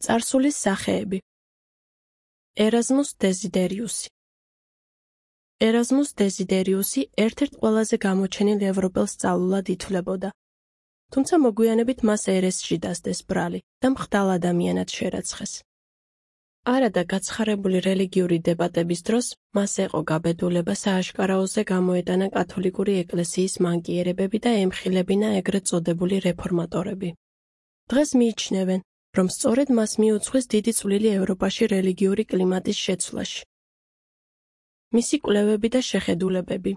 წარსულის სახეები. ერაზმუს დეზიდერიუსი. ერაზმუს დეზიდერიუსი ერთ-ერთ ყველაზე გამოჩენილ ევროპელ სწავლულად ითვლებოდა. თუმცა მოგვიანებით მას ერესში დასდეს ბრალი და მხდალ ადამიანად შერაცხეს. არადა გაცხარებული რელიგიური დებატების დროს მას ეყო გაბედულება სააშკარაოზე გამოეტანა კათოლიკური ეკლესიის მანკიერებები და ემხილებინა ეგრეთ წოდებული რეფორმატორები. დღეს მიიჩნევენ, რომ სწორედ მას მიუძღვის დიდი წვლილი ევროპაში რელიგიური კლიმატის შეცვლაში. მისი კვლევები და შეხედულებები.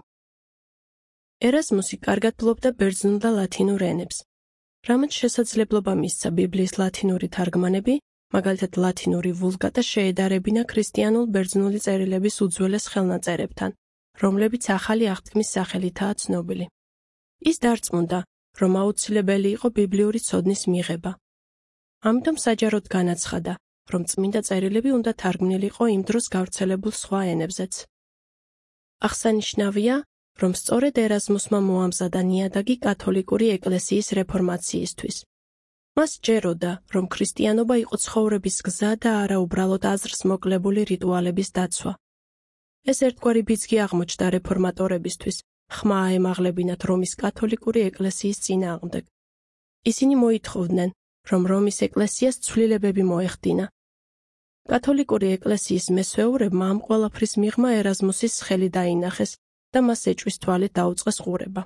ერაზმუსი კარგად ფლობდა ბერძნულ და ლათინურ ენებს, რამაც შესაძლებლობა მისცა ბიბლიის ლათინური თარგმანები, მაგალითად ლათინური ვულგატა შეედარებინა ქრისტიანულ ბერძნული წერილების უძველეს ხელნაწერებთან, რომლებიც ახალი აღთქმის სახელითაა ცნობილი. ის დარწმუნდა, რომ აუცილებელი იყო ბიბლიური ცოდნის მიღება. ამიტომ საჯაროდ განაცხადა, რომ წმინდა წერილები უნდა თარგმნილიყო იმ დროს გავრცელებულ სხვა ენებზეც. აღსანიშნავია, რომ სწორედ ერაზმუსმა მოამზადა ნიადაგი კათოლიკური ეკლესიის რეფორმაციისთვის. მას სჯეროდა, რომ ქრისტიანობა იყო ცხოვრების გზა და არა უბრალოდ აზრს მოკლებული რიტუალების დაცვა. ეს ერთგვარი ბიძგი აღმოჩნდა რეფორმატორებისთვის, ხმა აემაღლებინათ რომის კათოლიკური ეკლესიის წინააღმდეგ. ისინი მოითხოვდნენ, რომ რომის ეკლესიას ცვლილებები მოეხდინა. კათოლიკური ეკლესიის მესვეურებმა ამ ყველაფრის მიღმა ერაზმუსის ხელი დაინახეს და მას ეჭვის თვალით დაუწყეს ყურება.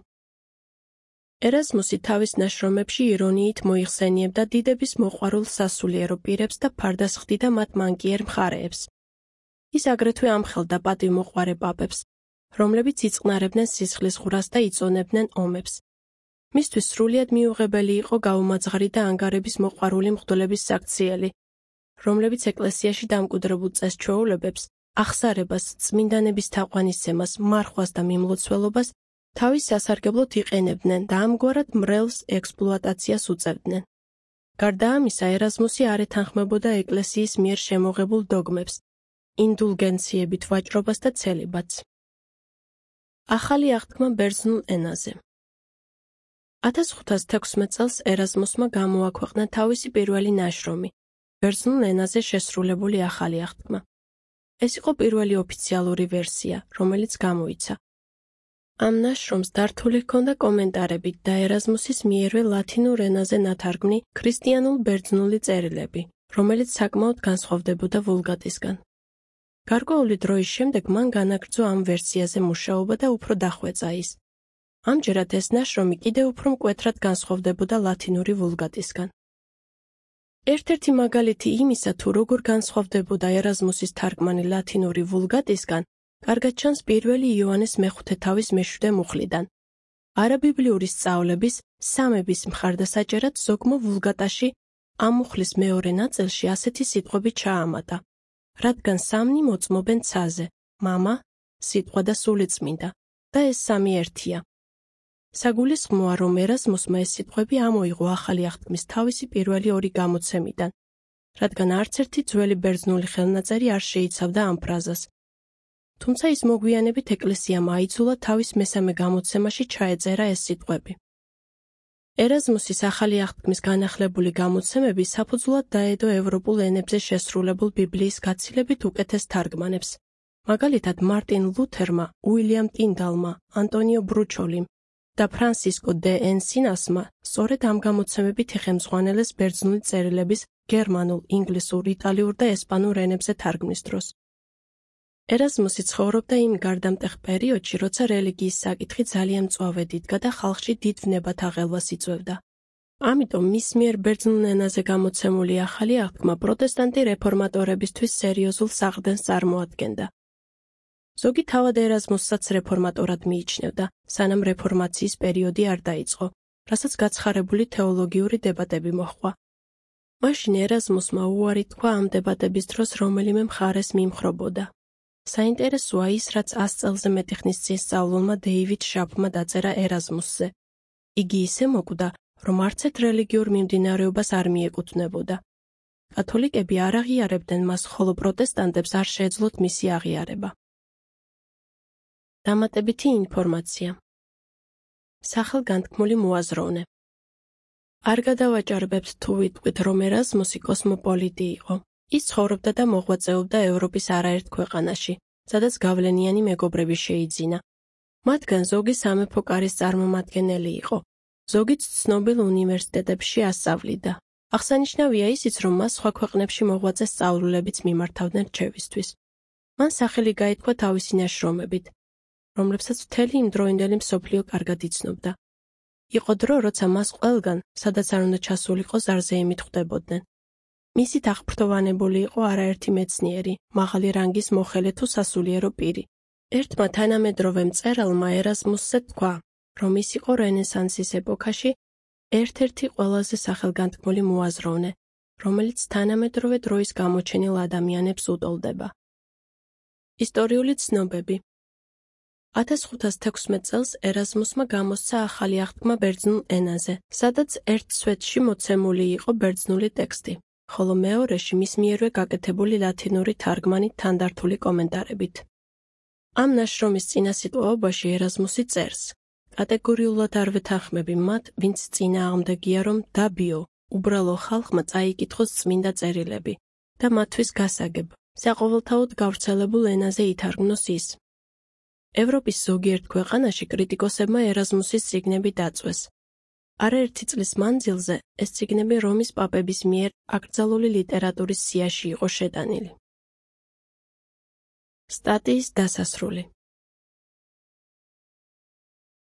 ერაზმუსი თავის ნაშრომებში ირონიით მოიხსენიებდა დიდების მოყვარულ სასულიერო პირებს და ფარდას ხდიდა მათ მანკიერ მხარეებს. ის აგრეთვე ამხელდა პატივმოყვარე პაპებს, რომლებიც იწყნარებდნენ სისხლისღვრას და იწონებდნენ ომებს. მისთვის სრულიად მიუღებელი იყო გაუმაძღარი და ანგარების მოყვარული მღვდლების საქციელი, რომლებიც ეკლესიაში დამკვიდრებულ წესჩვეულებებს, აღსარებას, წმინდანების თაყვანისცემას, მარხვას და მიმლოცველობას თავის სასარგებლოდ იყენებდნენ და ამგვარად მრევლს ექსპლუატაციას უწევდნენ. გარდა ამისა, ერაზმუსი არ ეთანხმებოდა ეკლესიის მიერ შემოღებულ დოგმებს, ინდულგენციებით ვაჭრობას და ცელიბატს. ახალი აღთქმა ბერძნულ ენაზე. 1516 წელს ერაზმუსმა გამოაქვეყნა თავისი პირველი ნაშრომი, ბერძნულ ენაზე შესრულებული ახალი აღთქმა. ეს იყო პირველი ოფიციალური ვერსია, რომელიც გამოიცა. ამ ნაშრომს დართული ჰქონდა კომენტარებით და ერაზმუსის მიერვე ლათინურ ენაზე ნათარგმნი ქრისტიანულ ბერძნული წერილები, რომელიც საკმაოდ განსხვავდებოდა ვულგატისგან. გარკვეული დროის შემდეგ მან განაგრძო ამ ვერსიაზე მუშაობა და უფრო დახვეწა ის. ამჯერად ეს ნაშრომი კიდევ უფრო მკვეთრად განსხვავდებოდა ლათინური ვულგატისგან. ერთ-ერთი მაგალითი იმისა, თუ როგორ განსხვავდებოდა ერაზმუსის თარგმანი ლათინური ვულგატისგან, კარგად ჩანს პირველი იოანეს მეხუთე თავის მეშვიდე მუხლიდან. არაბიბლიური სწავლების, სამების მხარდასაჭერად ზოგმა ვულგატაში ამ მუხლის მეორე ნაწილში ასეთი სიტყვები ჩაამატა, რადგან სამნი მოწმობენ ცაზე, მამა, სიტყვა და სულიწმინდა, და ეს სამი ერთია. საგულისხმოა, რომ ერაზმუსმა ეს სიტყვები ამოიღო ახალი აღთქმის თავისი პირველი ორი გამოცემიდან, რადგან არც ერთი ძველი ბერძნული ხელნაწერი არ შეიცავდა ამ ფრაზას. თუმცა ის მოგვიანებით ეკლესიამ აიძულა თავის მესამე გამოცემაში ჩაეწერა ეს სიტყვები. ერაზმუსის ახალი აღთქმის განახლებული გამოცემები საფუძვლად დაედო ევროპულ ენებზე შესრულებულ ბიბლიის გაცილებით უკეთეს თარგმანებს, მაგალითად მარტინ ლუთერმა, უილიამ ტინდალმა, ანტონიო ბრუჩოლიმ და ფრანსისკო დე ენსინასმა სწორედ ამ გამოცემებით იხემძღვანელეს ბერძნული წერილების გერმანულ, ინგლისურ, იტალიურ და ესპანურ ენებზე თარგმნის დროს. ერაზმუსი ცხოვრობდა იმ გარდამტეხ პერიოდში, როცა რელიგიის საკითხი ძალიან მწვავედ იდგა და ხალხში დიდ ვნებათა ღელვას იწვევდა. ამიტომ მის მიერ ბერძნულ ენაზე გამოცემული ახალი აღთქმა პროტესტანტი რეფორმატორებისთვის სერიოზულ საყრდენს წარმოადგენდა. ზოგი თავად ერაზმუსსაც რეფორმატორად მიიჩნევდა, სანამ რეფორმაციის პერიოდი არ დაიწყო, რასაც გაცხარებული თეოლოგიური დებატები მოჰყვა. მაშინ ერაზმუსმა უარი თქვა ამ დებატების დროს რომელიმე მხარეს მიმხრობოდა. საინტერესოა ის, რაც 100 წელზე მეტი ხნის წინ სწავლულმა დეივიდ შაფმა დაწერა ერაზმუსზე. იგი ისე მოკვდა, რომ არც ერთ რელიგიურ მიმდინარეობას არ მიეკუთვნებოდა. კათოლიკები არ აღიარებდნენ მას, ხოლო პროტესტანტებს არ შეეძლოთ მისი აღიარება. დამატებითი ინფორმაცია. სახელგანთქმული მოაზროვნე. არ გადავაჭარბებთ თუ ვიტყვით, რომ ერაზმუსი კოსმოპოლიტი იყო. ის ცხოვრობდა და მოღვაწეობდა ევროპის არაერთ ქვეყანაში, სადაც გავლენიანი მეგობრები შეიძინა. მათგან ზოგი სამეფო კარის წარმომადგენელი იყო. ზოგიც ცნობილ უნივერსიტეტებში ასწავლიდა. აღსანიშნავია ისიც, რომ მას სხვა ქვეყნებში მოღვაწე სწავლულებიც მიმართავდნენ რჩევისთვის. მან სახელი გაითქვა თავისი ნაშრომებით, რომლებსაც მთელი იმდროინდელი მსოფლიო კარგად იცნობდა. იყო დრო, როცა მას ყველგან, სადაც არ უნდა ჩასულიყო, ზარზეიმით ხვდებოდნენ. მისით აღფრთოვანებული იყო არაერთი მეცნიერი, მაღალი რანგის მოხელე თუ სასულიერო პირი. ერთმა თანამედროვე მწერალმა ერაზმუსზე თქვა, რომ ის იყო რენესანსის ეპოქაში ერთ-ერთი ყველაზე სახელგანთქმული მოაზროვნე, რომელიც თანამედროვე დროის გამოჩენილ ადამიანებს უდოლდება. ისტორიული ცნობები. 1516 წელს ერაზმუსმა გამოსცა ახალი აღთქმა ბერძნულ ენაზე, სადაც ერთ სვეტში მოცემული იყო ბერძნული ტექსტი, ხოლო მეორეში მის მიერვე გაკეთებული ლათინური თარგმანით თანდართული კომენტარებით. ამ ნაშრომის წინასიტყვაობაში ერაზმუსი წერს: კატეგორიულად არ ვეთანხმები მათ, ვინც წინააღმდეგია, რომ დაბიო, უბრალო ხალხმა წაიკითხოს წმინდა წერილები და მათთვის გასაგებ, საყოველთაოდ გავრცელებულ ენაზე ითარგმნოს ის. ევროპის ზოგიერთ ქვეყანაში კრიტიკოსებმა ერაზმუსის წიგნები დაწვეს. არაერთი წლის მანძილზე ეს წიგნები რომის პაპების მიერ აკრძალული ლიტერატურის სიაში იყო შეტანილი. სტატიის დასასრული.